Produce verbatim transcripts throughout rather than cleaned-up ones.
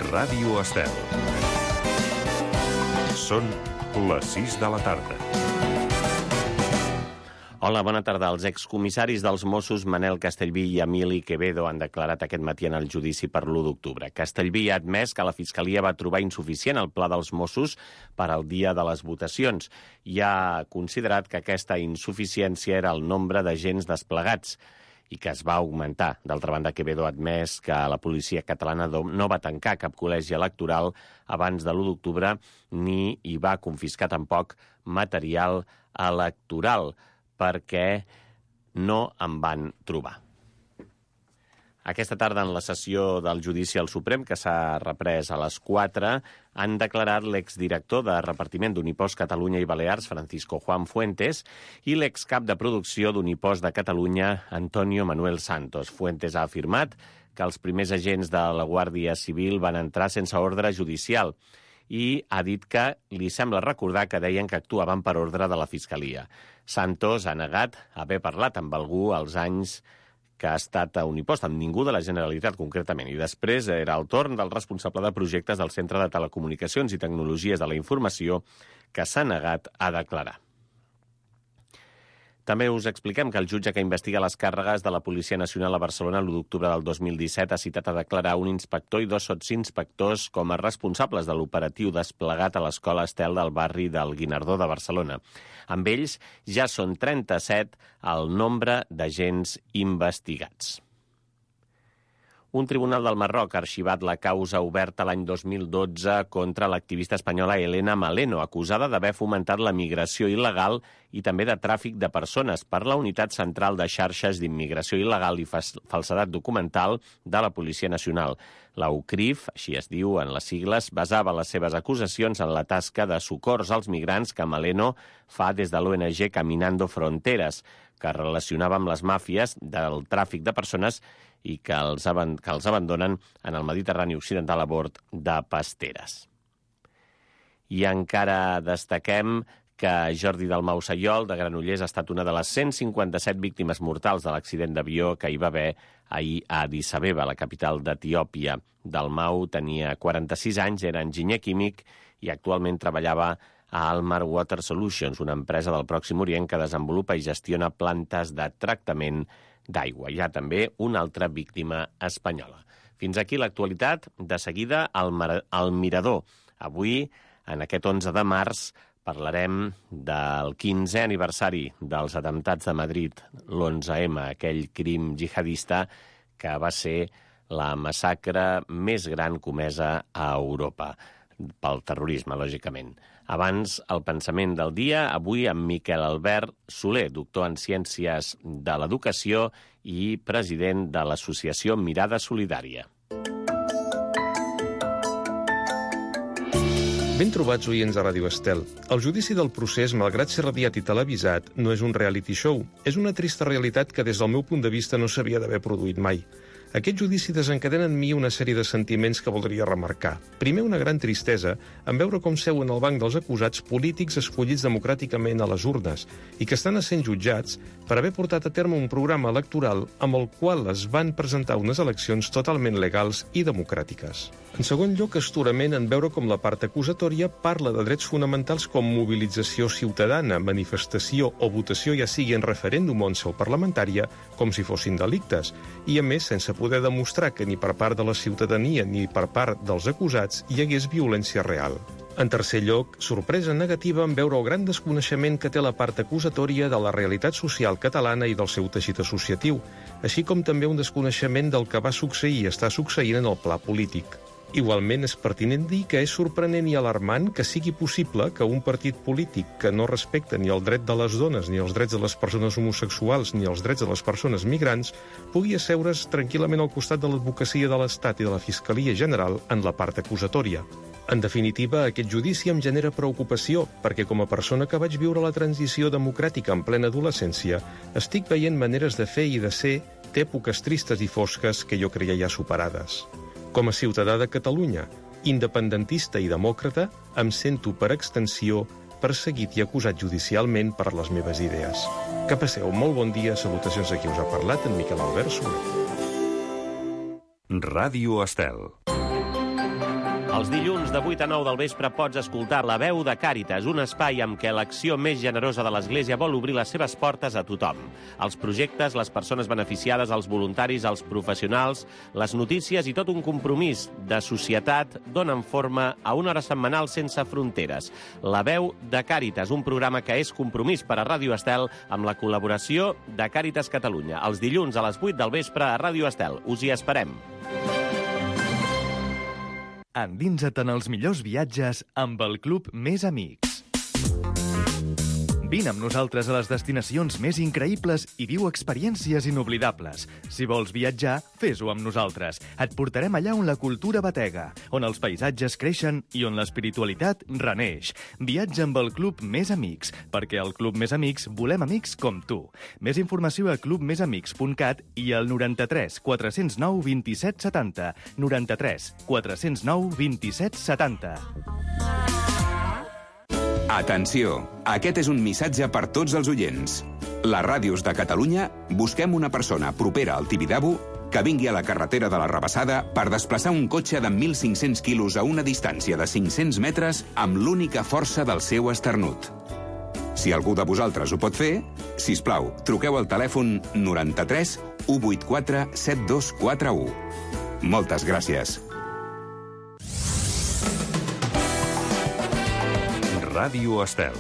Ràdio Estel. Són les sis de la tarda. Hola, bona tarda. Els excomissaris dels Mossos, Manel Castellví i Emili Quevedo, han declarat aquest matí en el judici per l'u d'octubre. Castellví ha admès que la Fiscalia va trobar insuficient el pla dels Mossos per al dia de les votacions i ha considerat que aquesta insuficiència era el nombre d'agents desplegats i que es va augmentar. D'altra banda, Quevedo ha admès que la policia catalana no va tancar cap col·legi electoral abans de l'u d'octubre ni hi va confiscar tampoc material electoral, perquè no en van trobar. Aquesta tarda, en la sessió del judici al Suprem, que s'ha reprès a les quatre, han declarat l'exdirector de repartiment d'Unipost Catalunya i Balears, Francisco Juan Fuentes, i l'excap de producció d'Unipost de Catalunya, Antonio Manuel Santos. Fuentes ha afirmat que els primers agents de la Guàrdia Civil van entrar sense ordre judicial i ha dit que li sembla recordar que deien que actuaven per ordre de la Fiscalia. Santos ha negat haver parlat amb algú als anys que ha estat a Unipost, amb ningú de la Generalitat concretament. I després era el torn del responsable de projectes del Centre de Telecomunicacions i Tecnologies de la Informació, que s'ha negat a declarar. També us expliquem que el jutge que investiga les càrregues de la Policia Nacional a Barcelona l'u d'octubre del dos mil disset ha citat a declarar un inspector i dos sotsinspectors com a responsables de l'operatiu desplegat a l'Escola Estel del barri del Guinardó de Barcelona. Amb ells ja són trenta-set el nombre d'agents investigats. Un tribunal del Marroc ha arxivat la causa oberta l'any dos mil dotze contra l'activista espanyola Elena Maleno, acusada d'haver fomentat la migració il·legal i també de tràfic de persones per la Unitat Central de Xarxes d'Immigració Il·legal i Falsedat Documental de la Policia Nacional. La U C R I F, així es diu en les sigles, basava les seves acusacions en la tasca de socors als migrants que Maleno fa des de l'O N G Caminando Fronteres, que relacionava amb les màfies del tràfic de persones i que els, que els abandonen en el Mediterrani Occidental a bord de pasteres. I encara destaquem que Jordi Dalmau Sayol, de Granollers, ha estat una de les cent cinquanta-set víctimes mortals de l'accident d'avió que hi va haver ahir a Addis Abeba, la capital d'Etiòpia. Dalmau tenia quaranta-sis anys, era enginyer químic i actualment treballava a Almar Water Solutions, una empresa del Pròxim Orient que desenvolupa i gestiona plantes de tractament d'aigua. Hi ha també una altra víctima espanyola. Fins aquí l'actualitat. De seguida, el, Mar- el Mirador. Avui, en aquest onze de març, parlarem del quinzè aniversari dels atemptats de Madrid, l'onze eme, aquell crim jihadista que va ser la massacre més gran comesa a Europa, pel terrorisme, lògicament. Abans, el pensament del dia, avui amb Miquel Albert Soler, doctor en Ciències de l'Educació i president de l'associació Mirada Solidària. Ben trobats, oients de Ràdio Estel. El judici del procés, malgrat ser radiat i televisat, no és un reality show. És una trista realitat que, des del meu punt de vista, no s'havia d'haver produït mai. Aquest judici desencadena en mi una sèrie de sentiments que voldria remarcar. Primer, una gran tristesa en veure com seuen al banc dels acusats polítics escollits democràticament a les urnes i que estan essent jutjats per haver portat a terme un programa electoral amb el qual es van presentar unes eleccions totalment legals i democràtiques. En segon lloc, astorament en veure com la part acusatòria parla de drets fonamentals com mobilització ciutadana, manifestació o votació, ja sigui en referèndum o en seu parlamentària, com si fossin delictes, i a més sense poder demostrar que ni per part de la ciutadania ni per part dels acusats hi hagués violència real. En tercer lloc, sorpresa negativa en veure el gran desconeixement que té la part acusatòria de la realitat social catalana i del seu teixit associatiu, així com també un desconeixement del que va succeir i està succeint en el pla polític. Igualment, és pertinent dir que és sorprenent i alarmant que sigui possible que un partit polític que no respecta ni el dret de les dones, ni els drets de les persones homosexuals, ni els drets de les persones migrants, pugui asseure's tranquil·lament al costat de l'advocacia de l'Estat i de la Fiscalia General en la part acusatòria. En definitiva, aquest judici em genera preocupació, perquè com a persona que vaig viure la transició democràtica en plena adolescència, estic veient maneres de fer i de ser d'èpoques tristes i fosques que jo creia ja superades. Com a ciutadà de Catalunya, independentista i demòcrata, em sento per extensió perseguit i acusat judicialment per les meves idees. Que passeu molt bon dia, salutacions a qui us ha parlat, en Miquel Albert Soler. Ràdio Estel. Els dilluns de vuit a nou del vespre pots escoltar La veu de Càritas, un espai amb què l'acció més generosa de l'Església vol obrir les seves portes a tothom. Els projectes, les persones beneficiades, els voluntaris, els professionals, les notícies i tot un compromís de societat donen forma a una hora setmanal sense fronteres. La veu de Càritas, un programa que és compromís per a Ràdio Estel amb la col·laboració de Càritas Catalunya. Els dilluns a les vuit del vespre a Ràdio Estel. Us hi esperem. Endinsa't en els millors viatges amb el Club Més Amics. Vine amb nosaltres a les destinacions més increïbles i viu experiències inoblidables. Si vols viatjar, fes-ho amb nosaltres. Et portarem allà on la cultura batega, on els paisatges creixen i on l'espiritualitat reneix. Viatja amb el Club Més Amics, perquè al Club Més Amics volem amics com tu. Més informació a club més amics punt cat i al noranta-tres quatre zero nou vint-i-set setanta. noranta-tres quatre zero nou vint-i-set setanta. Atenció! Aquest és un missatge per tots els oients. Les ràdios de Catalunya busquem una persona propera al Tibidabo que vingui a la carretera de la Rabassada per desplaçar un cotxe de mil cinc-cents quilos a una distància de cinc-cents metres amb l'única força del seu esternut. Si algú de vosaltres ho pot fer, sisplau, truqueu al telèfon noranta-tres u vuitanta-quatre set dos quatre u. Moltes gràcies. Ràdio Estel.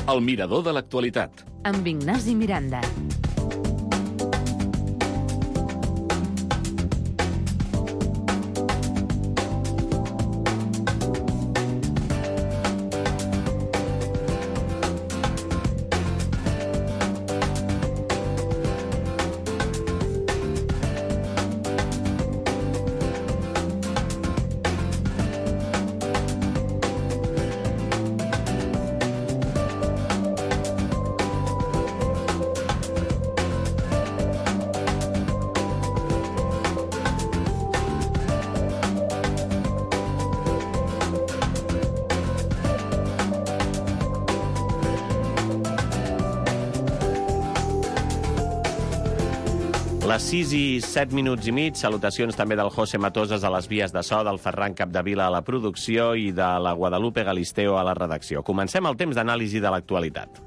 El mirador de l'actualitat. Amb Ignasi Miranda. Les sis i set minuts i mig, salutacions també del José Matoses a les vies de so, del Ferran Capdevila a la producció i de la Guadalupe Galisteo a la redacció. Comencem el temps d'anàlisi de l'actualitat.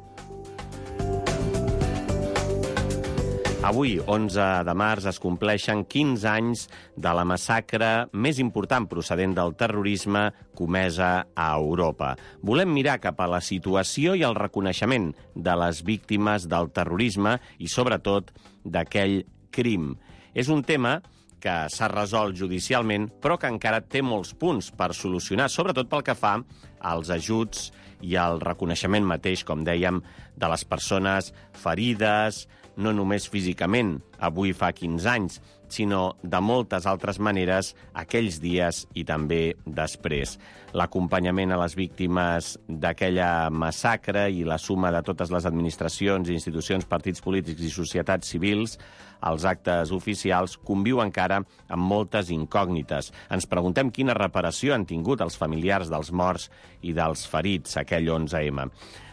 Avui, onze de març, es compleixen quinze anys de la massacre més important procedent del terrorisme comesa a Europa. Volem mirar cap a la situació i el reconeixement de les víctimes del terrorisme i, sobretot, d'aquell crim. És un tema que s'ha resolt judicialment, però que encara té molts punts per solucionar, sobretot pel que fa als ajuts i al reconeixement mateix, com dèiem, de les persones ferides, no només físicament, avui fa quinze anys, sinó de moltes altres maneres aquells dies i també després. L'acompanyament a les víctimes d'aquella massacre i la suma de totes les administracions, institucions, partits polítics i societats civils als actes oficials conviu encara amb moltes incògnites. Ens preguntem quina reparació han tingut els familiars dels morts i dels ferits aquell onze eme.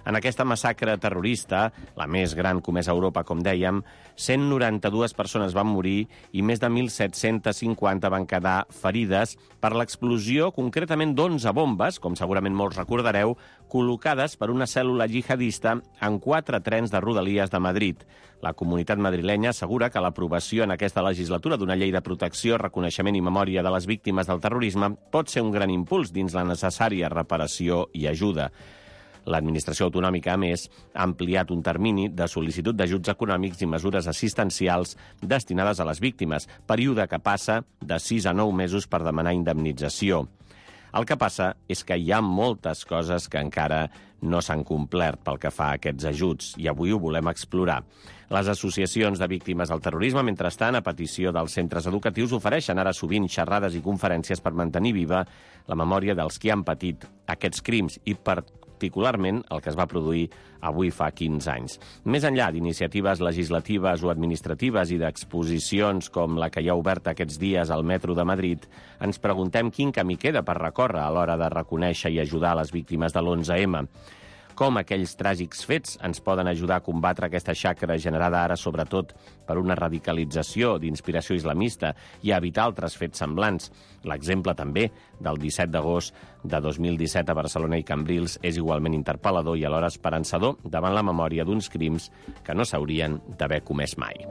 En aquesta massacre terrorista, la més gran comesa a Europa, com dèiem, cent noranta-dues persones van morir i més de mil set-cents cinquanta van quedar ferides per l'explosió concretament d'onze bombes, com segurament molts recordareu, col·locades per una cèl·lula jihadista en quatre trens de Rodalies de Madrid. La comunitat madrilenya assegura que l'aprovació en aquesta legislatura d'una llei de protecció, reconeixement i memòria de les víctimes del terrorisme pot ser un gran impuls dins la necessària reparació i ajuda. L'administració autonòmica, a més, ha ampliat un termini de sol·licitud d'ajuts econòmics i mesures assistencials destinades a les víctimes, període que passa de sis a nou mesos per demanar indemnització. El que passa és que hi ha moltes coses que encara no s'han complert pel que fa a aquests ajuts, i avui ho volem explorar. Les associacions de víctimes del terrorisme, mentrestant, a petició dels centres educatius, ofereixen ara sovint xerrades i conferències per mantenir viva la memòria dels qui han patit aquests crims i per particularment el que es va produir avui fa quinze anys. Més enllà d'iniciatives legislatives o administratives i d'exposicions com la que hi ha oberta aquests dies al metro de Madrid, ens preguntem quin camí queda per recórrer a l'hora de reconèixer i ajudar les víctimes de l'onze eme. Com aquells tràgics fets ens poden ajudar a combatre aquesta xacra generada ara sobretot per una radicalització d'inspiració islamista i a evitar altres fets semblants. L'exemple també del disset d'agost de dos mil disset a Barcelona i Cambrils és igualment interpel·lador i alhora esperançador davant la memòria d'uns crims que no s'haurien d'haver comès mai.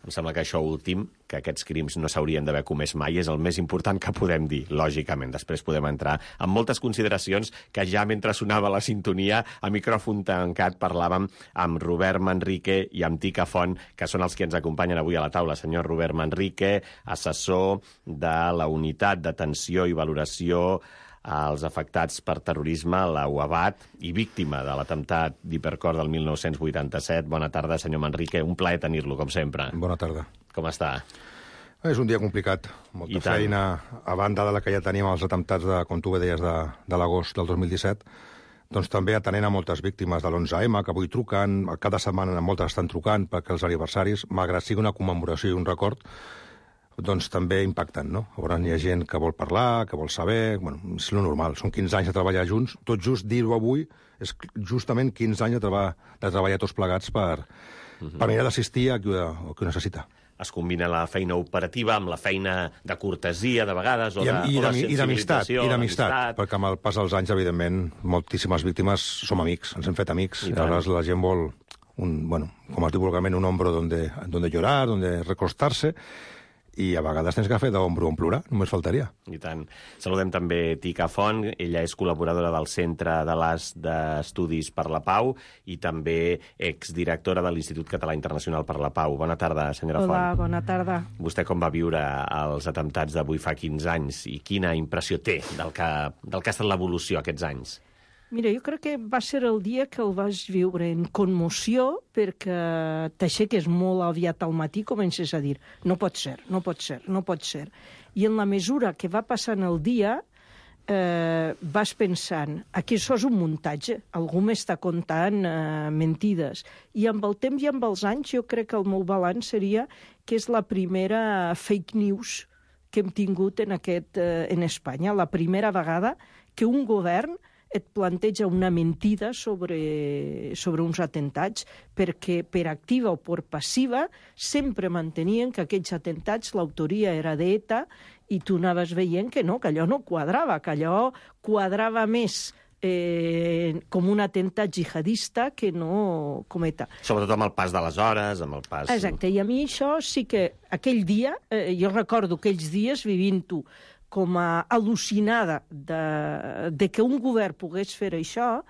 Em sembla que això últim, que aquests crims no s'haurien d'haver comès mai, és el més important que podem dir, lògicament. Després podem entrar en moltes consideracions que ja mentre sonava la sintonia, a micròfon tancat, parlàvem amb Robert Manrique i amb Tica Font, que són els que ens acompanyen avui a la taula. Senyor Robert Manrique, assessor de la Unitat d'Atenció i Valoració als afectats per terrorisme, la U A B A T, i víctima de l'atemptat d'Hipercor del mil nou-cents vuitanta-set. Bona tarda, senyor Manrique. Un plaer tenir-lo, com sempre. Bona tarda. Com està? És un dia complicat. Molta feina, a banda de la que ja teníem els atemptats, de, com tu bé deies, de, de l'agost del dos mil disset, doncs també atenent a moltes víctimes de l'onze eme, que avui truquen, cada setmana moltes estan trucant perquè els aniversaris, malgrat sigui una commemoració i un record, doncs també impacten, no? Llavors hi ha gent que vol parlar, que vol saber... Bueno, és lo normal, són quinze anys de treballar junts. Tot just dir-ho avui és justament quinze anys de, treba de treballar tots plegats per, uh-huh. per mirar d'assistir a qui ho, a qui ho necessita. Es combina la feina operativa amb la feina de cortesia, de vegades, o I, de, i, o de i d'amistat, sensibilització. I d'amistat, perquè amb el pas dels anys, evidentment, moltíssimes víctimes som amics, ens hem fet amics. I, I aleshores la gent vol, un, bueno, com es diu vulgarment, un hombro donde, donde llorar, donde recostar-se, i a vegades tens que fer d'ombro en plorar, només faltaria. I tant. Saludem també Tica Font, ella és col·laboradora del Centre de l'As d'Estudis per la Pau i també exdirectora de l'Institut Català Internacional per la Pau. Bona tarda, senyora Hola, Font. Hola, bona tarda. Vostè com va viure els atemptats d'avui fa quinze anys i quina impressió té del que, del que ha estat l'evolució aquests anys? Mira, jo crec que va ser el dia que el vaig viure en commoció perquè t'aixeques molt aviat al matí i comences a dir no pot ser, no pot ser, no pot ser. I en la mesura que va passant el dia eh, vas pensant aquí això és un muntatge, algú m'està contant eh, mentides. I amb el temps i amb els anys jo crec que el meu balanç seria que és la primera fake news que hem tingut en, aquest, eh, en Espanya, la primera vegada que un govern et planteja una mentida sobre, sobre uns atentats, perquè per activa o per passiva sempre mantenien que aquells atentats l'autoria era d'ETA i tu anaves veient que no, que allò no quadrava, que allò quadrava més eh, com un atemptat jihadista que no com ETA. Sobretot amb el pas de les hores, amb el pas... Exacte, i a mi això sí que aquell dia, eh, jo recordo aquells dies vivint-ho com a al·lucinada de, de que un govern pogués fer això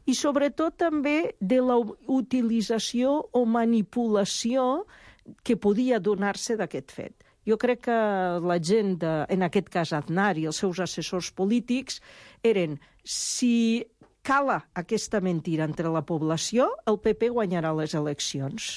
i sobretot també de la utilització o manipulació que podia donar-se d'aquest fet. Jo crec que la gent, de, en aquest cas Aznar i els seus assessors polítics, eren si cala aquesta mentira entre la població, el P P guanyarà les eleccions.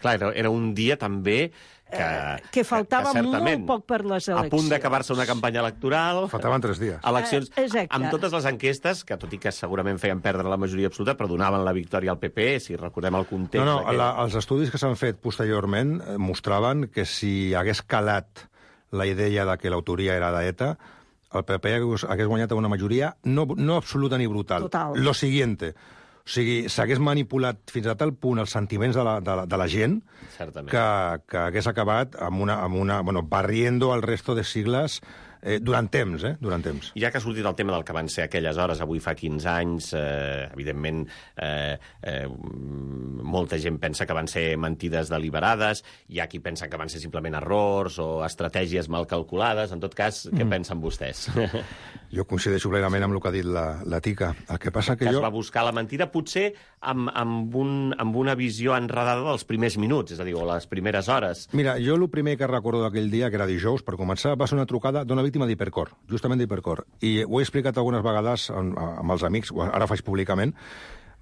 Clar, era, era un dia també que... Eh, que faltava que, que molt poc per les eleccions. A punt d'acabar-se una campanya electoral... Faltaven tres dies. Eleccions, eh, exacte. Amb totes les enquestes, que tot i que segurament feien perdre la majoria absoluta, però donaven la victòria al P P, si recordem el context... No, no, aquell... la, els estudis que s'han fet posteriorment eh, mostraven que si hagués calat la idea de que l'autoria era d'ETA, el P P hagués, hagués guanyat una majoria no, no absoluta ni brutal. Total. Lo siguiente... O sigui, s'hagués manipulat fins a tal punt els sentiments de la, de la, de la gent que, que hagués acabat amb una, amb una, bueno, barriendo al resto de sigles eh, durant temps, eh? Durant temps. Ja que ha sortit el tema del que van ser aquelles hores, avui fa quinze anys, eh, evidentment eh, eh, molta gent pensa que van ser mentides deliberades, hi ha qui pensa que van ser simplement errors o estratègies mal calculades. En tot cas, què mm. pensen vostès? Jo coincideixo plenament amb el que ha dit la, la Tica. El que passa que, que jo... es va buscar la mentida potser amb, amb, un, amb una visió enredada dels primers minuts, és a dir, o les primeres hores. Mira, jo el primer que recordo d'aquell dia, que era dijous, per començar, va ser una trucada d'una víctima d'Hipercor, justament d'Hipercor. I ho he explicat algunes vegades amb, amb els amics, ara ho faig públicament.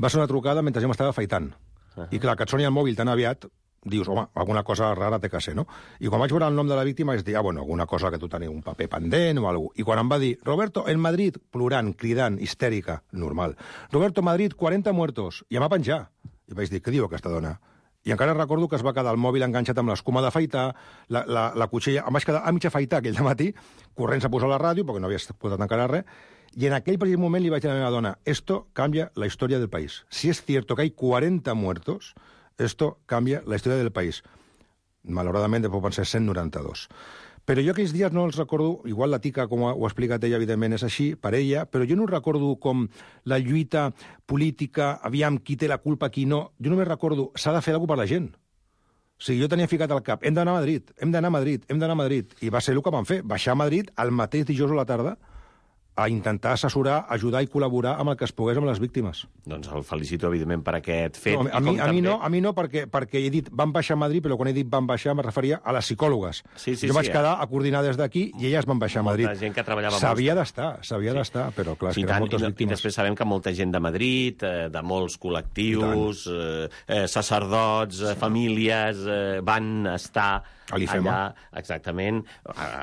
Va ser una trucada mentre jo m'estava afaitant. Uh -huh. I clar, que et soni el mòbil tan aviat, dius, home, alguna cosa rara té que ser, no? I quan vaig veure el nom de la víctima vaig dir, ah, bueno, alguna cosa que tu teniu un paper pendent o alguna cosa. I quan em va dir, Roberto, en Madrid, plorant, cridant, histèrica, normal. Roberto, Madrid, quaranta muertos. I em va penjar. I vaig dir, què diu aquesta dona? I encara recordo que es va quedar el mòbil enganxat amb l'escuma d'afaitar, la, la, la cuixella... Em vaig quedar a mig afaitar aquell matí, corrents a posar la ràdio, perquè no havia posat encara res, i en aquell precis moment li vaig dir a la meva dona, esto cambia la història del país. Si es cierto que hay cuarenta muertos, esto cambia la història del país. Malauradament, després van ser cent noranta-dos. Però jo aquells dies no els recordo, igual la tica, com ho ha explicat ella, evidentment és així, per ella, però jo no recordo com la lluita política, aviam, qui té la culpa, qui no. Jo només recordo, s'ha de fer alguna cosa per la gent. O sigui, jo tenia ficat al cap, hem d'anar a Madrid, hem d'anar a Madrid, hem d'anar a Madrid. I va ser el que van fer, baixar a Madrid el mateix dijous a la tarda a intentar assessorar, ajudar i col·laborar amb el que es pogués amb les víctimes. Doncs el felicito, evidentment, per aquest fet. No, a, mi, a, també... mi no, a mi no, perquè, perquè he dit van baixar a Madrid, però quan he dit van baixar me referia a les psicòlogues. Sí, sí, jo sí, vaig eh? quedar a coordinar des d'aquí i elles van baixar a Madrid. Molta gent que treballava... S'havia d'estar, s'havia sí. d'estar, però clar, sí, és que eren moltes i, víctimes. I després sabem que molta gent de Madrid, eh, de molts col·lectius, eh, eh, sacerdots, eh, famílies, eh, van estar... allà, exactament,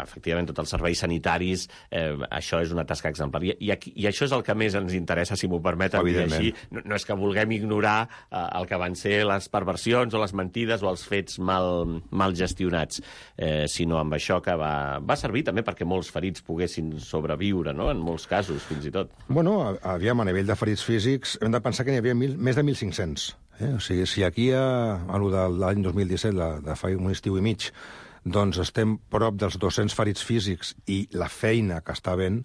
efectivament, tots els serveis sanitaris, eh, això és una tasca exemplar. I, i, aquí, I això és el que més ens interessa, si m'ho permeten dir així. No, no és que vulguem ignorar eh, el que van ser les perversions o les mentides o els fets mal, mal gestionats, eh, sinó amb això que va, va servir també perquè molts ferits poguessin sobreviure, no?, en molts casos, fins i tot. Bueno, aviam, a nivell de ferits físics, hem de pensar que n'hi havia mil, més de mil cinc-cents. Eh? O sigui, si aquí, a, a l'any dos mil disset, la, de fa un estiu i mig, doncs estem prop dels dos-cents ferits físics i la feina que està havent,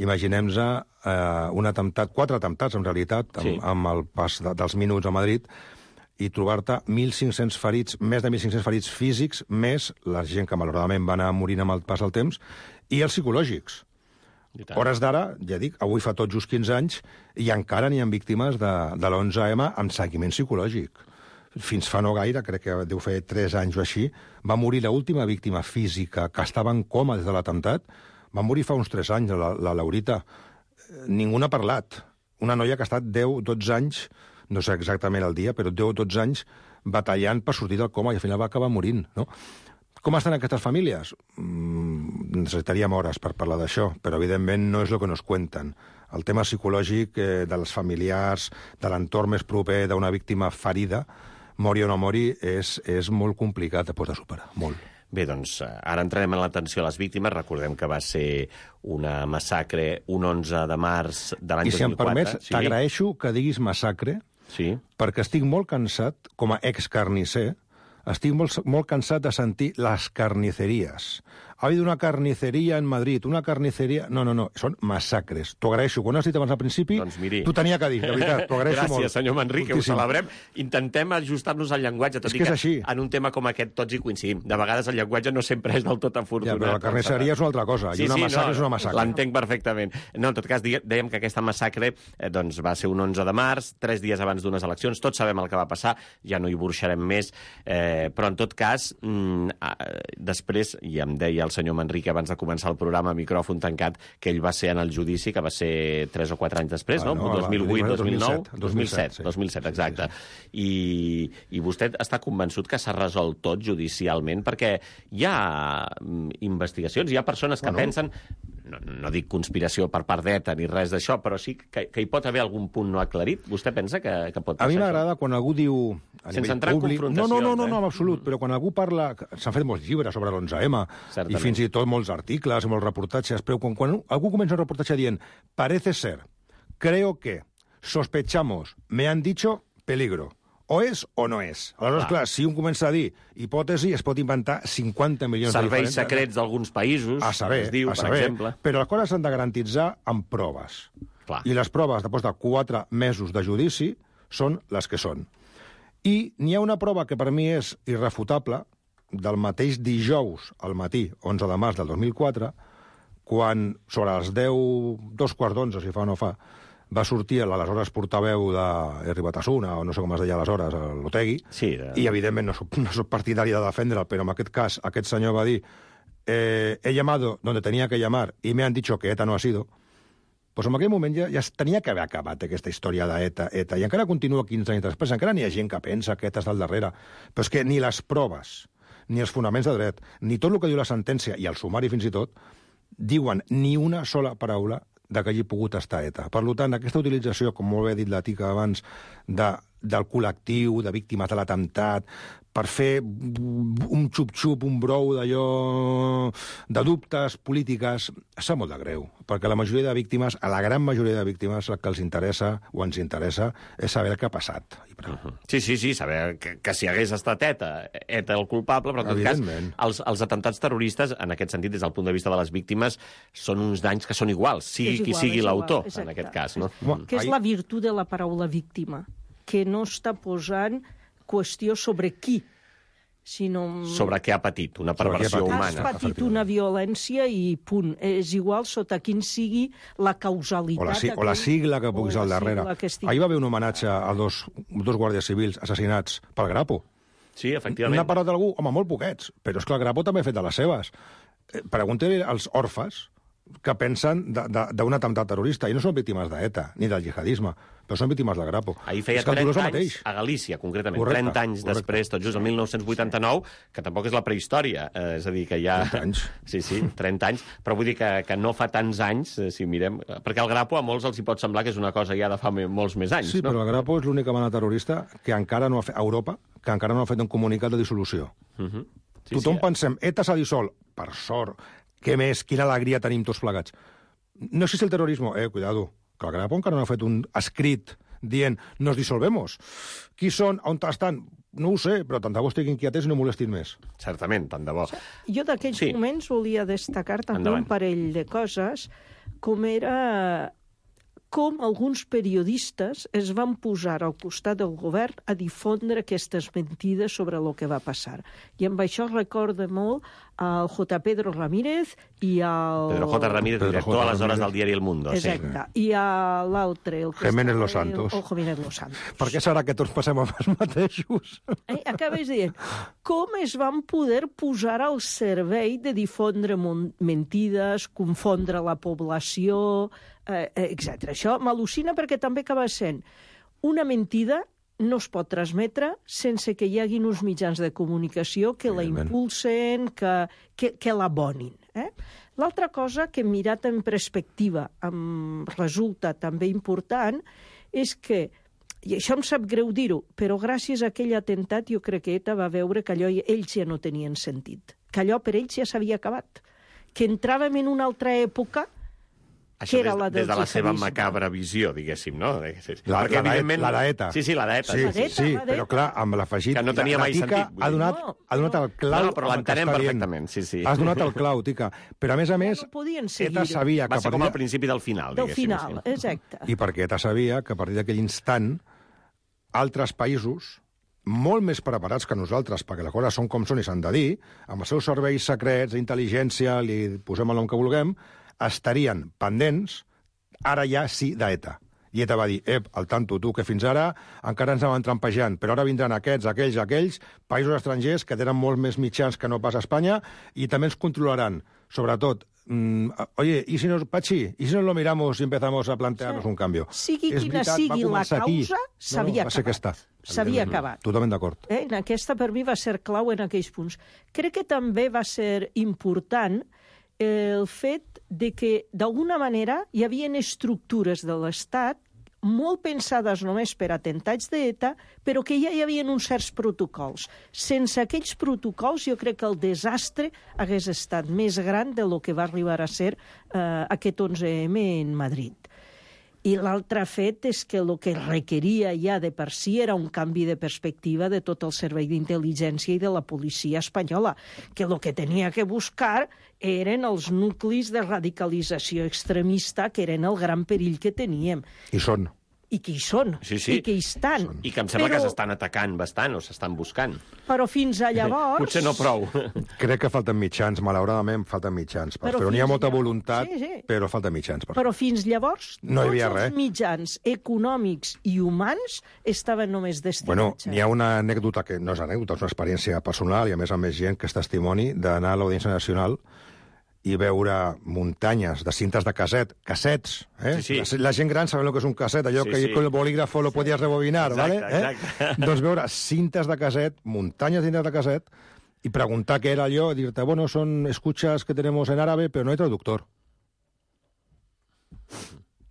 imaginem-nos eh, un atemptat, quatre atemptats, en realitat, amb, sí. amb el pas de, dels minuts a Madrid, i trobar-te mil cinc-cents ferits, més de mil cinc-cents ferits físics, més la gent que malauradament va anar morint amb el pas del temps, i els psicològics. Hores d'ara, ja dic, avui fa tot just quinze anys, i encara n'hi ha víctimes de, de l'onze eme amb seguiment psicològic. Fins fa no gaire, crec que deu fer tres anys o així, va morir l'última víctima física que estava en coma des de l'atemptat, va morir fa uns tres anys, la, la Laurita. Ningú n'ha parlat. Una noia que ha estat deu dotze anys, no sé exactament el dia, però deu dotze anys batallant per sortir del coma i al final va acabar morint, no? Com estan aquestes famílies? Mm, necessitaríem hores per parlar d'això, però evidentment no és el que nos cuenten. El tema psicològic eh, dels familiars, de l'entorn més proper d'una víctima ferida, mori o no mori, és, és molt complicat després de superar, molt. Bé, doncs, ara entrarem en l'atenció a les víctimes. Recordem que va ser una massacre un onze de març de l'any dos mil quatre. I si em permets, sí? T'agraeixo que diguis massacre, sí. perquè estic molt cansat, com a ex-carnisser, estic molt, molt cansat de sentir les carniceries. Ha habido una carniceria en Madrid, una carniceria... No, no, no, són massacres. T'ho agraeixo. Quan has dit abans al principi, doncs miri. T'ho tenia que dir, de veritat, t'ho agraeixo Gràcies, molt. Gràcies, senyor Manrique, ho celebrem. Intentem ajustar-nos al llenguatge, tot és i que, que, és així. en un tema com aquest tots hi coincidim. De vegades el llenguatge no sempre és del tot afortunat. Ja, però la carnisseria és una altra cosa, sí, i una sí, massacre no, és una massacre. L'entenc perfectament. No, en tot cas, dèiem que aquesta massacre eh, doncs, va ser un onze de març, tres dies abans d'unes eleccions, tots sabem el que va passar, ja no hi burxarem més, eh, però en tot cas, mm, eh, després, i em deia el senyor Manrique abans de començar el programa a micròfon tancat, que ell va ser en el judici, que va ser tres o quatre anys després, ah, no? no? dos mil vuit, dos mil nou, dos mil set, dos mil set, exacte. I, i vostè està convençut que s'ha resolt tot judicialment, perquè hi ha investigacions, hi ha persones que bueno. pensen, no, no dic conspiració per part d'ETA ni res d'això, però sí que, que hi pot haver algun punt no aclarit. Vostè pensa que, que pot passar això? A mi m'agrada quan algú diu... A Sense entrar públic, en no, no, no, no, eh? no, en absolut, però quan algú parla... S'han fet molts llibres sobre l'onze eme, i fins i tot molts articles, molts reportatges, però quan, quan algú comença un reportatge dient parece ser, creo que, sospechamos, me han dicho peligro, o és o no és. Aleshores, clar, clar si un comença a dir hipòtesi, es pot inventar cinquanta milions Serveis de diferents... Serveis secrets d'alguns països, a saber, es diu, a per saber, exemple. Però les coses s'han de garantitzar amb proves. Clar. I les proves, després de quatre mesos de judici, són les que són. I n'hi ha una prova que per mi és irrefutable, del mateix dijous al matí, onze de març del dos mil quatre, quan sobre les deu, dos quarts d'onze, si fa o no fa, va sortir l'aleshores portaveu d'Herri Batasuna, o no sé com es deia aleshores, l'Otegi, sí, de... i evidentment no soc, no soc partidari de defendre'l, però en aquest cas aquest senyor va dir eh, he llamado donde tenía que llamar y me han dicho que ETA no ha sido, Doncs en aquell moment ja, ja es tenia que haver acabat aquesta història d'ETA, ETA, i encara continua quinze anys després, encara n'hi ha gent que pensa que ETA està al darrere, però és que ni les proves, ni els fonaments de dret, ni tot el que diu la sentència, i el sumari fins i tot, diuen ni una sola paraula de que hagi pogut estar ETA. Per tant, aquesta utilització, com molt bé ha dit la Tica abans, de, del col·lectiu, de víctimes de l'atemptat, per fer un xup-xup, un brou d'allò de dubtes polítiques, sap molt de greu, perquè la majoria de víctimes, a la gran majoria de víctimes, el que els interessa o ens interessa és saber el que ha passat. I prou. Uh -huh. Sí, sí, sí, saber que, que si hagués estat ETA, ETA el culpable, però en tot cas, els, els atemptats terroristes, en aquest sentit, des del punt de vista de les víctimes, són uns danys que són iguals, sigui igual, qui sigui l'autor, exacte. en aquest cas. No? Mm. Que és la virtut de la paraula víctima, que no està posant qüestió sobre qui, sinó... Sobre què ha patit, una perversió Has humana. Has patit una violència i punt. És igual sota quin sigui la causalitat... O la, si, o la sigla que puguis al darrere. Estigui... Ahir va haver un homenatge a dos, dos guàrdies civils assassinats pel Grapo. Sí, efectivament. N'ha parlat algú? Home, molt poquets. Però és que el Grapo també ha fet de les seves. Pregunta-li als orfes que pensen d'un atemptat terrorista, i no són víctimes d'ETA, ni del jihadisme, però són víctimes del Grapo. Ahir feia trenta anys, a Galícia, concretament, correcte, trenta anys correcte. Després, tot just el mil nou-cents vuitanta-nou, que tampoc és la prehistòria, eh, és a dir, que ja... trenta anys. Sí, sí, trenta anys, però vull dir que, que no fa tants anys, eh, si mirem... Perquè el Grapo a molts els hi pot semblar que és una cosa ja de fa molts més anys, sí, no? Sí, però el Grapo és l'única banda terrorista que encara no ha fet, a Europa, que encara no ha fet un comunicat de dissolució. Uh -huh. sí, Tothom sí, pensem, ETA s'ha dissolt, per sort, què més, quina alegria tenim tots plegats. No existe el terrorismo. Eh, cuidado, que el Grapo encara no ha fet un escrit dient nos dissolvemos. Qui són? On estan? No ho sé, però tant de bo estiguin quietes i no molestin més. Certament, tant de bo. Jo d'aquells sí. moments volia destacar també Endavant. un parell de coses, com era com alguns periodistes es van posar al costat del govern a difondre aquestes mentides sobre el que va passar. I amb això recorda molt al J. Pedro Ramírez i al... Pedro J. Ramírez, Pedro director J. aleshores Ramírez. del diari El Mundo. Exacte. Sí. I a l'altre... el que Jiménez estava- Los Santos. O Jiménez Los Santos. Per què serà que tots passem amb els mateixos? Eh, acabes dient, com es van poder posar al servei de difondre mon- mentides, confondre la població, eh, etcètera. Això m'al·lucina perquè també acaba sent una mentida no es pot transmetre sense que hi hagin uns mitjans de comunicació que la impulsen, que, que, que l'abonin. Eh? L'altra cosa que mirat en perspectiva em resulta també important és que, i això em sap greu dir-ho, però gràcies a aquell atemptat jo crec que ETA va veure que allò ells ja no tenien sentit, que allò per ells ja s'havia acabat, que entràvem en una altra època Això que era des, la del des de la seva jihadisme. macabra visió, diguéssim, no? Sí, sí. La, Perquè, la, evidentment... la d'ETA. Sí, sí, la d'ETA. Sí, La sí, d'ETA, sí, la d'ETA. però clar, amb l'afegit... Que no tenia la mai Tica sentit, vull ha dir. donat, No, ha donat el clau... No, no, però amb el que l'entenem està dient. perfectament, sí, sí. Has donat el clau, Tica. Però, a més a més, no podien ETA seguir sabia que... Va a ser com partir al principi del final, del diguéssim. final, Sí. exacte. I perquè ETA sabia que a partir d'aquell instant altres països molt més preparats que nosaltres, perquè les coses són com són i s'han de dir, amb els seus serveis secrets d'intel·ligència, li posem el nom que vulguem, estarien pendents, ara ja sí, d'ETA. I ETA va dir, ep, al tanto, tu, que fins ara encara ens anaven trampejant, però ara vindran aquests, aquells, aquells, països estrangers que tenen molts més mitjans que no pas a Espanya i també ens controlaran. Sobretot, mm, oye, ¿y si nos, Pachi, ¿y si nos lo miramos y empezamos a plantearnos un cambio? Sigui És quina veritat, va sigui la començar aquí. causa, s'havia no, va ser acabat. aquesta. S'havia acabat. Totalment d'acord. Eh? En aquesta, per mi, va ser clau en aquells punts. Crec que també va ser important el fet de que, d'alguna manera, hi havia estructures de l'Estat molt pensades només per atemptats d'ETA, però que ja hi havia uns certs protocols. Sense aquells protocols, jo crec que el desastre hagués estat més gran de lo que va arribar a ser eh, aquest onze eme en Madrid. I l'altre fet és que el que requeria ja de per si era un canvi de perspectiva de tot el servei d'intel·ligència i de la policia espanyola, que el que tenia que buscar eren els nuclis de radicalització extremista, que eren el gran perill que teníem. I són. I que hi són, Sí, sí. i que hi estan. I que em sembla però, que s'estan atacant bastant, o s'estan buscant. Però fins a llavors... Potser no prou. Crec que falten mitjans, malauradament falten mitjans. Per Però però n'hi ha fins molta llavors- voluntat, sí, sí. però falten mitjans. Per Però fins llavors, No hi havia tots res. els mitjans econòmics i humans estaven només Bueno, destinats. n'hi ha una anècdota, que no és anècdota, és una experiència personal, i a més a més gent que és testimoni, d'anar a l'Audiència Nacional i veure muntanyes de cintes de casset, cassets, eh? Sí, sí. La gent gran sabem el que és un casset, allò Sí, que sí. con el bolígrafo lo podies rebobinar, Exacte, ¿vale? exacte. Eh? Doncs veure cintes de casset, muntanyes de cintes de casset, i preguntar què era allò, dir-te, bueno, son escuchas que tenemos en árabe, pero no hay traductor.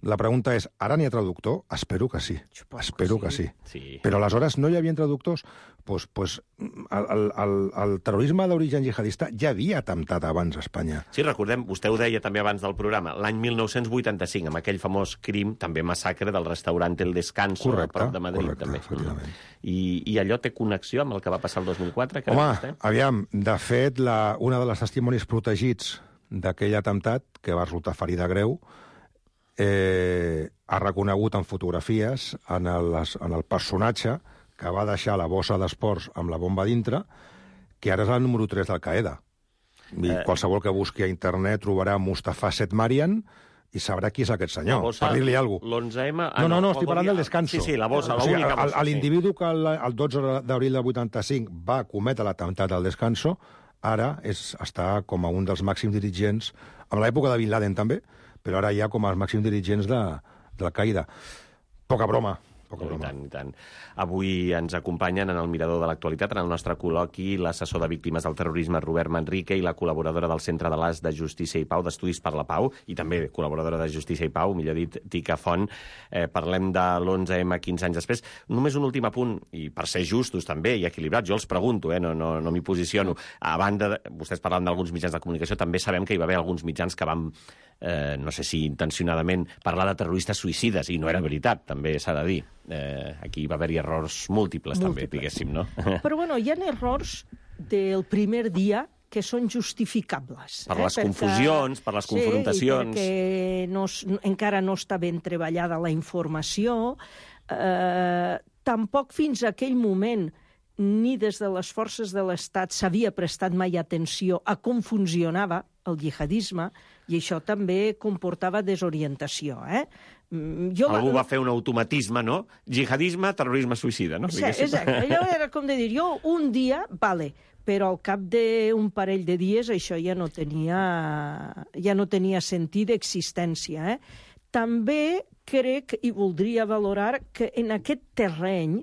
La pregunta és, ara n'hi ha traductor? Espero que sí. Espero que sí. Sí. Però aleshores no hi havia traductors? Pues, pues, el, el, el terrorisme d'origen jihadista ja havia atemptat abans a Espanya. Sí, recordem, vostè ho deia també abans del programa, l'any mil nou-cents vuitanta-cinc, amb aquell famós crim, també massacre del restaurant El Descanso, Correcte, a prop de Madrid. correcte, també. efectivament. I, I allò té connexió amb el que va passar el dos mil quatre? Que Home, aviam, de fet, la, una de les testimonis protegits d'aquell atemptat, que va resultar ferida greu, eh, ha reconegut en fotografies en el, en el personatge que va deixar la bossa d'esports amb la bomba dintre, que ara és el número tres d'Al-Qaeda. I eh... qualsevol que busqui a internet trobarà Mustafa Setmarian i sabrà qui és aquest senyor, bossa, per dir-li alguna cosa. l'onze ema... Ah, no, no, no, estic parlant del Descanso. Sí, sí, la bossa, o sigui, l'única bossa. L'individu que el, el dotze d'abril del vuitanta-cinc va cometre l'atemptat al Descanso, ara és, està com a un dels màxims dirigents, en l'època de Bin Laden també, però ara ja com els màxims dirigents de, de l'Al-Qaeda. Poca broma. Poca I broma. tant, i tant. Avui ens acompanyen en el Mirador de l'Actualitat, en el nostre col·loqui, l'assessor de víctimes del terrorisme Robert Manrique i la col·laboradora del Centre de l'As de Justícia i Pau, d'Estudis per la Pau, i també col·laboradora de Justícia i Pau, millor dit, Tica Font. Eh, parlem de l'onze ema quinze anys després. Només un últim apunt, i per ser justos també i equilibrats, jo els pregunto, eh, no, no, no m'hi posiciono. A banda, de, vostès parlen d'alguns mitjans de comunicació, també sabem que hi va haver alguns mitjans que van, eh, no sé si intencionadament, parlar de terroristes suïcides, i no era veritat, també s'ha de dir. Eh, aquí va haver-hi errors múltiples, múltiples, també, diguéssim, no? Però, bueno, hi ha errors del primer dia que són justificables. Per eh? les perquè, confusions, per les sí, confrontacions. Sí, perquè no, encara no està ben treballada la informació. Eh, tampoc fins a aquell moment ni des de les forces de l'Estat s'havia prestat mai atenció a com funcionava el jihadisme, i això també comportava desorientació. Eh? Jo Algú va... va fer un automatisme, no? Jihadisme, terrorisme suïcida, no? Sí, exacte. Allò era com de dir, jo un dia, vale, però al cap d'un parell de dies això ja no tenia, ja no tenia sentit d'existència. Eh? També crec, i voldria valorar, que en aquest terreny,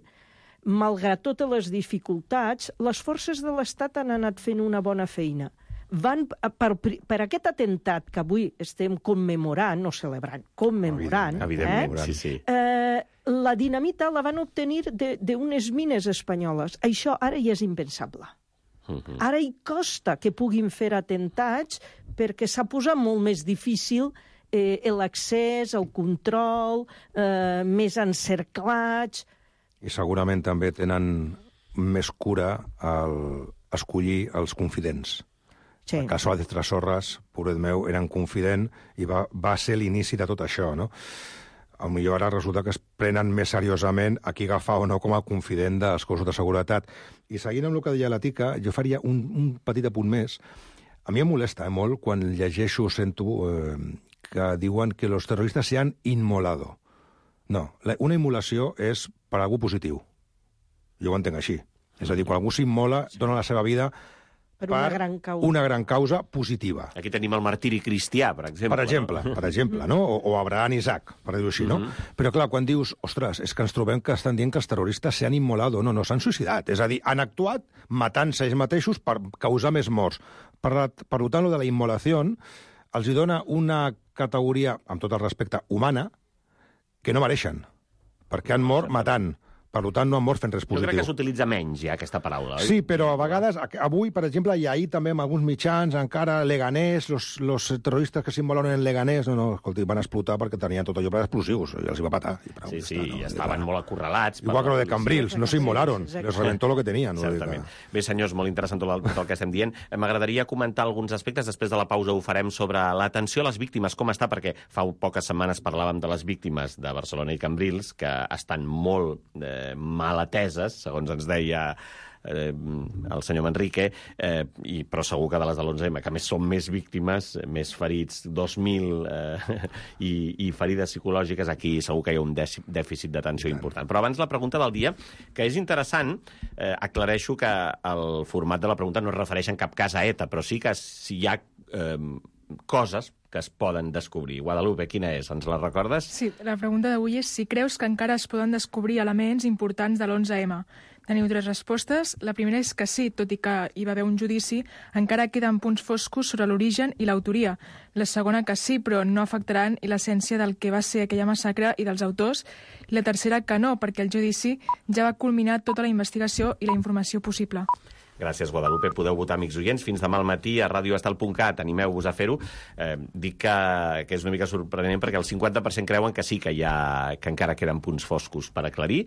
malgrat totes les dificultats, les forces de l'Estat han anat fent una bona feina. Van, per, per aquest atemptat que avui estem commemorant, no celebrant, commemorant, evidentment, eh? sí, sí. Eh, la dinamita la van obtenir d'unes mines espanyoles. Això ara ja és impensable. Uh-huh. Ara hi costa que puguin fer atemptats perquè s'ha posat molt més difícil eh, l'accés, el control, eh, més encerclats. I segurament també tenen més cura al escollir els confidents. Sí. El cas Suárez Trasorras, pobret meu, era un confident i va, va ser l'inici de tot això, no? A millor ara resulta que es prenen més seriosament a qui agafar o no com a confident dels cossos de seguretat. I seguint amb el que deia la Tica, jo faria un, un petit apunt més. A mi em molesta eh, molt quan llegeixo, sento eh, que diuen que els terroristes se han inmolado. No, la, una immolació és per a algú positiu. Jo ho entenc així. És a dir, quan algú s'immola, dona la seva vida per una gran causa. una gran causa positiva. Aquí tenim el martiri cristià, per exemple. Per exemple, no? per exemple, no? O, o Abraham Isaac, per dir-ho així, no? Mm-hmm. Però clar, quan dius, ostres, és que ens trobem que estan dient que els terroristes s'han immolado, no, no, s'han suïcidat. És a dir, han actuat matant-se ells mateixos per causar més morts. Per, per tant, lo de la immolació els hi dona una categoria, amb tot el respecte, humana, que no mereixen, perquè han mort matant. Per tant, no han mort fent res positiu. Jo crec que s'utilitza menys, ja, aquesta paraula. Oi? Sí, però a vegades, avui, per exemple, i ahir també amb alguns mitjans, encara Leganés, los, los terroristes que s'immolen en Leganés, no, no, escolti, van explotar perquè tenien tot allò per explosius, i els hi va patar. I prou, sí, sí, està, no? i estaven molt acorralats. Igual que lo de Cambrils, no s'immolaron, sí, les reventó lo que tenien. Certament. Bé, senyors, molt interessant tot el, tot el que estem dient. M'agradaria comentar alguns aspectes, després de la pausa ho farem, sobre l'atenció a les víctimes, com està, perquè fa poques setmanes parlàvem de les víctimes de Barcelona i Cambrils, que estan molt eh, mal ateses, segons ens deia eh, el senyor Manrique, eh, i, però segur que de les de l'onze ema, que més són més víctimes, més ferits, dos mil, eh, i, i ferides psicològiques, aquí segur que hi ha un dèficit d'atenció important. Però abans la pregunta del dia, que és interessant, eh, aclareixo que el format de la pregunta no es refereix en cap cas a ETA, però sí que si hi ha eh, coses que es poden descobrir. Guadalupe, quina és? Ens la recordes? Sí, la pregunta d'avui és si creus que encara es poden descobrir elements importants de l'onze ema. Teniu tres respostes. La primera és que sí, tot i que hi va haver un judici, encara queden punts foscos sobre l'origen i l'autoria. La segona que sí, però no afectaran l'essència del que va ser aquella massacre i dels autors. I la tercera que no, perquè el judici ja va culminar tota la investigació i la informació possible. Gràcies, Guadalupe. Podeu votar, amics oients, fins demà al matí a radioestel punt cat. Animeu-vos a fer-ho. Eh, dic que, que és una mica sorprenent perquè el cinquanta per cent creuen que sí que hi ha, que encara queden punts foscos per aclarir,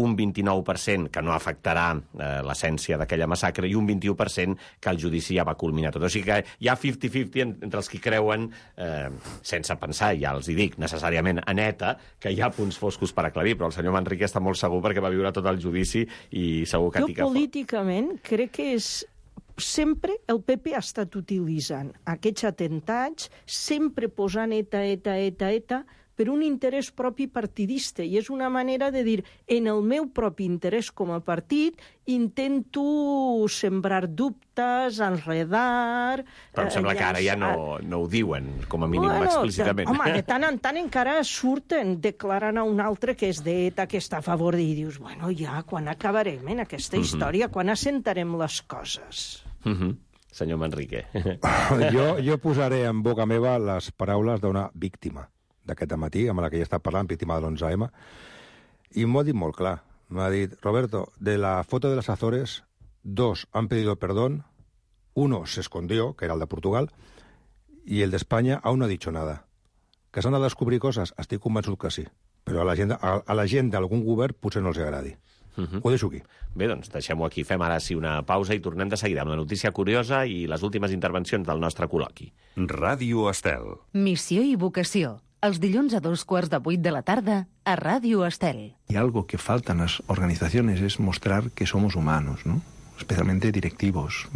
un vint-i-nou per cent que no afectarà eh, l'essència d'aquella massacre i un vint-i-u per cent que el judici ja va culminar tot. O sigui que hi ha cinquanta cinquanta entre els que creuen, eh, sense pensar, ja els hi dic, necessàriament a neta, que hi ha punts foscos per aclarir, però el senyor Manrique està molt segur perquè va viure tot el judici i segur que... Jo políticament crec que és sempre el P P ha estat utilitzant aquests atentats, sempre posant ETA, ETA, ETA, ETA, per un interès propi partidista. I és una manera de dir, en el meu propi interès com a partit, intento sembrar dubtes, enredar... Però em sembla eh, que ara ja no, no ho diuen, com a mínim, bueno, explícitament. Home, de tant en tant encara surten declarant a un altre que és d'ETA, que està a favor, i dius, bueno, ja, quan acabarem en aquesta història, uh-huh. quan assentarem les coses? Uh-huh. Senyor Manrique. jo, jo posaré en boca meva les paraules d'una víctima d'aquest matí, amb la que ja està parlant, víctima de l'onze ema, i m'ho ha dit molt clar. M'ha dit, Roberto, de la foto de las Azores, dos han pedido perdón, uno se escondió, que era el de Portugal, y el de España aún no ha dicho nada. Que s'han de descobrir coses? Estic convençut que sí. Però a la gent, a, a la gent d'algun govern potser no els agradi. Uh-huh. Ho deixo aquí. Bé, doncs deixem-ho aquí. Fem ara sí una pausa i tornem de seguida amb la notícia curiosa i les últimes intervencions del nostre col·loqui. Ràdio Estel. Missió i vocació. Els dilluns a dos quarts de vuit de la tarda a Ràdio Estel. Y algo que falta en las organizaciones es mostrar que somos humanos, ¿no? Especialmente directivos,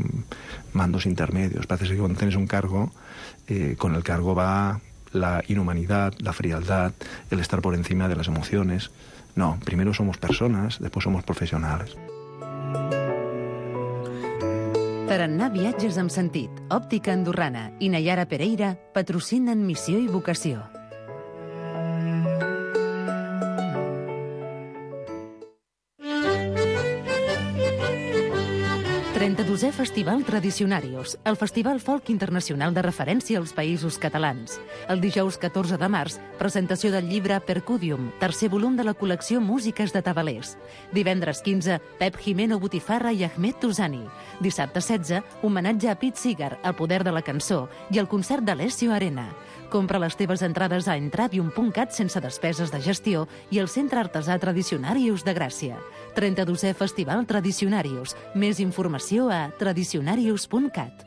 mandos intermedios. Parece que cuando tienes un cargo, eh, con el cargo va la inhumanidad, la frialdad, el estar por encima de las emociones. No, primero somos personas, después somos profesionales. Tarannà Viatges amb sentit, Òptica Andorrana i Nayara Pereira patrocinen Missió i vocació. trenta-dosè Festival Tradicionarius, el festival folk internacional de referència als països catalans. El dijous catorze de març, presentació del llibre Percudium, tercer volum de la col·lecció Músiques de Tabalers. Divendres quinze, Pep Jimeno Botifarra i Ahmed Touzani. Dissabte setze, homenatge a Pete Seeger, el poder de la cançó, i el concert d'Alessio Arena. Compra les teves entrades a entravium punt cat sense despeses de gestió i al Centre Artesà Tradicionarius de Gràcia. trenta-dosè Festival Tradicionarius. Més informació a tradicionarius punt cat.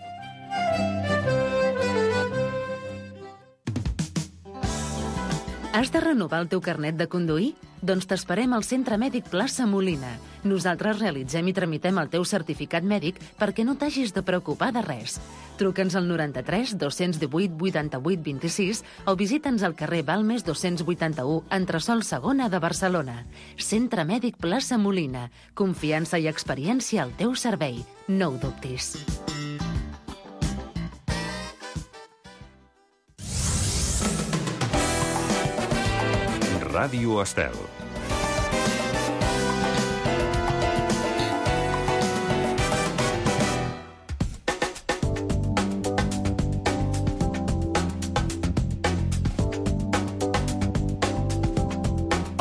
Has de renovar el teu carnet de conduir? Doncs t'esperem al Centre Mèdic Plaça Molina. Nosaltres realitzem i tramitem el teu certificat mèdic perquè no t'hagis de preocupar de res. Truca'ns al noranta-tres dos-cents divuit vuitanta-vuit vint-i-sis o visita'ns al carrer Balmes dos-cents vuitanta-u, entresòl segona de Barcelona. Centre Mèdic Plaça Molina. Confiança i experiència al teu servei. No ho dubtis. Ràdio Estel.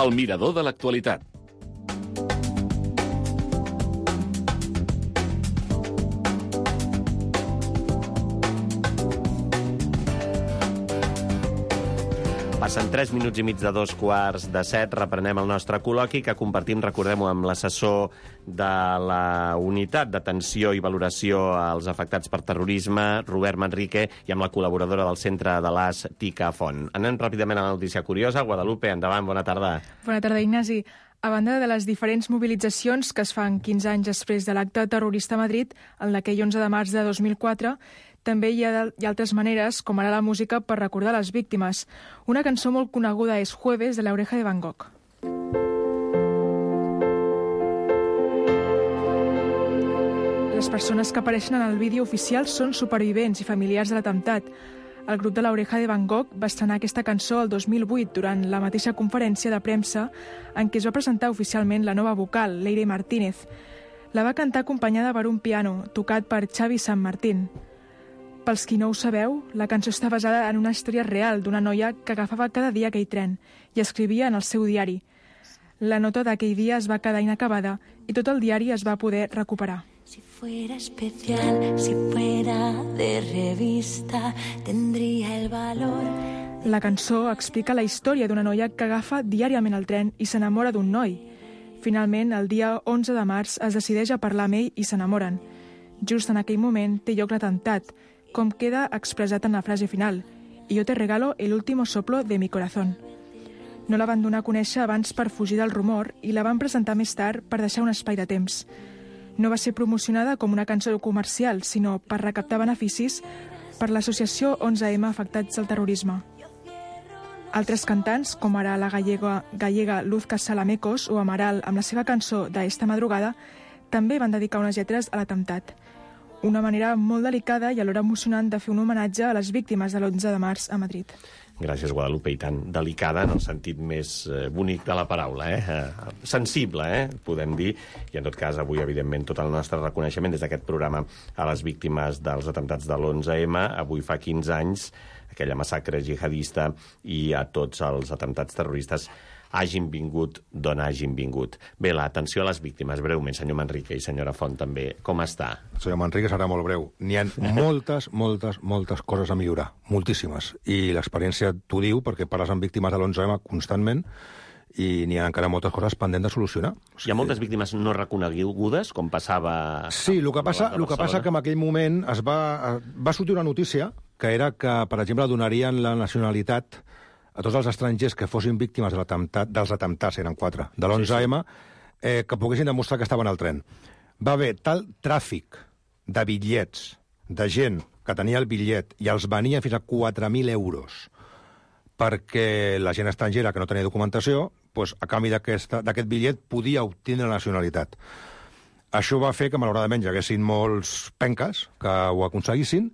El mirador de l'actualitat. Passen tres minuts i mig de dos quarts de set. Reprenem el nostre col·loqui que compartim, recordem-ho, amb l'assessor de la Unitat d'Atenció i Valoració als Afectats per Terrorisme, Robert Manrique, i amb la col·laboradora del Centre de l'A S, Tica Font. Anem ràpidament a la notícia curiosa. Guadalupe, endavant, bona tarda. Bona tarda, Ignasi. A banda de les diferents mobilitzacions que es fan quinze anys després de l'acte terrorista a Madrid, en aquell onze de març de dos mil quatre, també hi ha, hi ha altres maneres, com ara la música, per recordar les víctimes. Una cançó molt coneguda és Jueves, de La Oreja de Van Gogh. Les persones que apareixen en el vídeo oficial són supervivents i familiars de l'atemptat. El grup de l'Oreja de Van Gogh va estrenar aquesta cançó el dos mil vuit durant la mateixa conferència de premsa en què es va presentar oficialment la nova vocal, Leire Martínez. La va cantar acompanyada per un piano, tocat per Xavi San Martín. Pels qui no ho sabeu, la cançó està basada en una història real d'una noia que agafava cada dia aquell tren i escrivia en el seu diari. La nota d'aquell dia es va quedar inacabada i tot el diari es va poder recuperar. Si fuera especial, si fuera de revista, tendría el valor. La cançó explica la història d'una noia que agafa diàriament el tren i s'enamora d'un noi. Finalment, el dia onze de març es decideix a parlar amb ell i s'enamoren. Just en aquell moment té lloc l'atemptat, com queda expressat en la frase final: «Y yo te regalo el último soplo de mi corazón». No la van donar a conèixer abans per fugir del rumor i la van presentar més tard per deixar un espai de temps. No va ser promocionada com una cançó comercial, sinó per recaptar beneficis per l'associació onze eme Afectats al Terrorisme. Altres cantants, com ara la gallega, gallega Luz Casalamecos o Amaral amb la seva cançó d'Esta madrugada, també van dedicar unes lletres a l'atemptat. Una manera molt delicada i alhora emocionant de fer un homenatge a les víctimes de l'onze de març a Madrid. Gràcies, Guadalupe, i tant delicada en el sentit més eh, bonic de la paraula, eh? eh? Sensible, eh? Podem dir, i en tot cas avui, evidentment, tot el nostre reconeixement des d'aquest programa a les víctimes dels atemptats de l'onze eme, avui fa quinze anys, aquella massacre jihadista, i a tots els atemptats terroristes hagin vingut d'on hagin vingut. Bé, l'atenció a les víctimes, breument, senyor Manrique i senyora Font, també. Com està? Senyor Manrique serà molt breu. N'hi ha moltes, moltes, moltes coses a millorar, moltíssimes. I l'experiència t'ho diu, perquè parles amb víctimes de l'onze eme constantment, i n'hi ha encara moltes coses pendents de solucionar. O sigui, hi ha moltes víctimes no reconegudes, com passava... Sí, el que passa, el que passa que en aquell moment es va, va sortir una notícia que era que, per exemple, donarien la nacionalitat a tots els estrangers que fossin víctimes de l'atemptat, dels atemptats, eren quatre, de l'onze eme, eh, que poguessin demostrar que estaven al tren. Va haver tal tràfic de bitllets, de gent que tenia el bitllet i els venien fins a quatre mil euros perquè la gent estrangera que no tenia documentació, doncs, a canvi d'aquest bitllet podia obtenir la nacionalitat. Això va fer que, malauradament, hi haguessin molts penques que ho aconseguissin,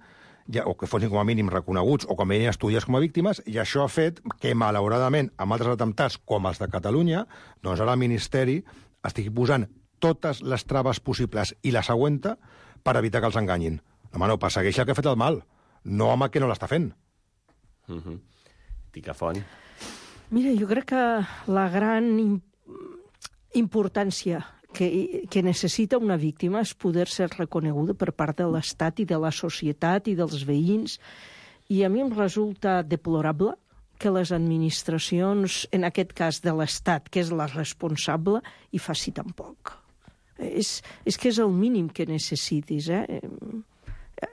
ja, o que fossin com a mínim reconeguts o com a mínim estudiats com a víctimes, i això ha fet que, malauradament, amb altres atemptats com els de Catalunya, doncs ara el Ministeri estigui posant totes les traves possibles i les aguanta per evitar que els enganyin. Home, no, persegueix el que ha fet el mal, no home que no l'està fent. Uh-huh. Ticafont. Mira, jo crec que la gran importància que, que necessita una víctima és poder ser reconeguda per part de l'Estat i de la societat i dels veïns. I a mi em resulta deplorable que les administracions, en aquest cas de l'Estat, que és la responsable, hi faci tan poc. És, és que és el mínim que necessitis, eh?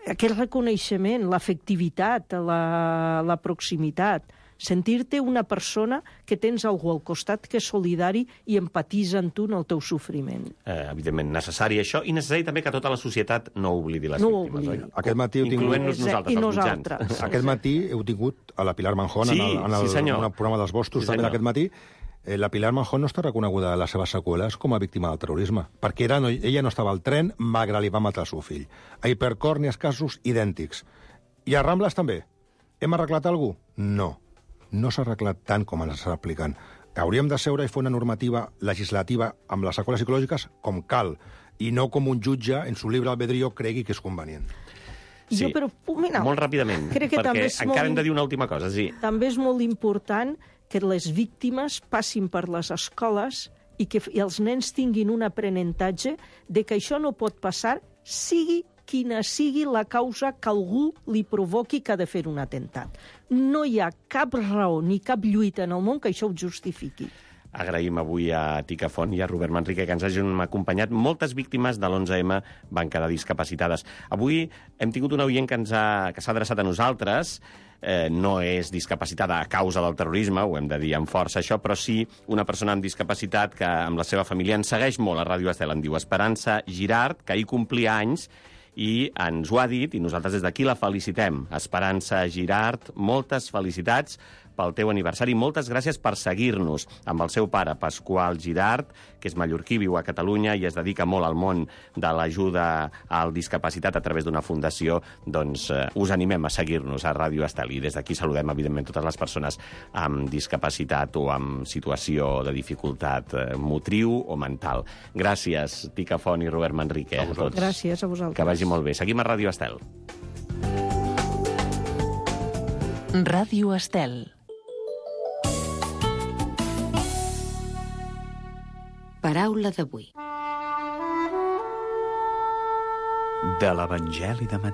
Aquest reconeixement, l'afectivitat, la, la proximitat, sentir-te una persona que tens algú al costat que és solidari i empatitza amb tu en el teu sofriment. Eh, evidentment, necessari això, i necessari també que tota la societat no oblidi les no víctimes, oblidi. oi? Aquest matí heu tingut... Incloent-nos nosaltres, I els nosaltres. mitjans. Aquest matí heu tingut a la Pilar Manjón, sí, en el, en el, sí, en el programa dels Bostos, sí, també aquest matí. Eh, la Pilar Manjón no està reconeguda a les seves seqüeles com a víctima del terrorisme, perquè era, no, ella no estava al tren, malgrat li va matar el seu fill. A Hipercor n'hi ha casos idèntics. I a Rambles també. Hem arreglat algú? No. No s'ha arreglat tant com ens està aplicant. Hauríem de seure i fer una normativa legislativa amb les seqüeles psicològiques com cal, i no com un jutge en su libre albedrío cregui que és convenient. Sí, jo, però, mira, molt ràpidament, crec que perquè és encara molt, hem de dir una última cosa. Sí. També és molt important que les víctimes passin per les escoles i que i els nens tinguin un aprenentatge de que això no pot passar, sigui quina sigui la causa que algú li provoqui que ha de fer un atemptat. No hi ha cap raó ni cap lluita en el món que això ho justifiqui. Agraïm avui a Ticafont i a Robert Manrique que ens hagin acompanyat. Moltes víctimes de l'onze eme van quedar discapacitades. Avui hem tingut una oient que ens ha, que s'ha adreçat a nosaltres. Eh, no és discapacitada a causa del terrorisme, ho hem de dir amb força això, però sí una persona amb discapacitat que amb la seva família ens segueix molt a Ràdio Estel. En diu Esperança Girard, que ahir complia anys, i ens ho ha dit, i nosaltres des d'aquí la felicitem. Esperança Girard, moltes felicitats pel teu aniversari. Moltes gràcies per seguir-nos amb el seu pare, Pasqual Girard, que és mallorquí, viu a Catalunya i es dedica molt al món de l'ajuda al discapacitat a través d'una fundació. Doncs eh, us animem a seguir-nos a Ràdio Estel. I des d'aquí saludem, evidentment, totes les persones amb discapacitat o amb situació de dificultat eh, motriu o mental. Gràcies, Tica Font i Robert Manrique. A tots. Gràcies a vosaltres. Que vagi molt bé. Seguim a Ràdio Estel. Ràdio Estel. Paraula d'avui. De l'Evangeli de Mateu.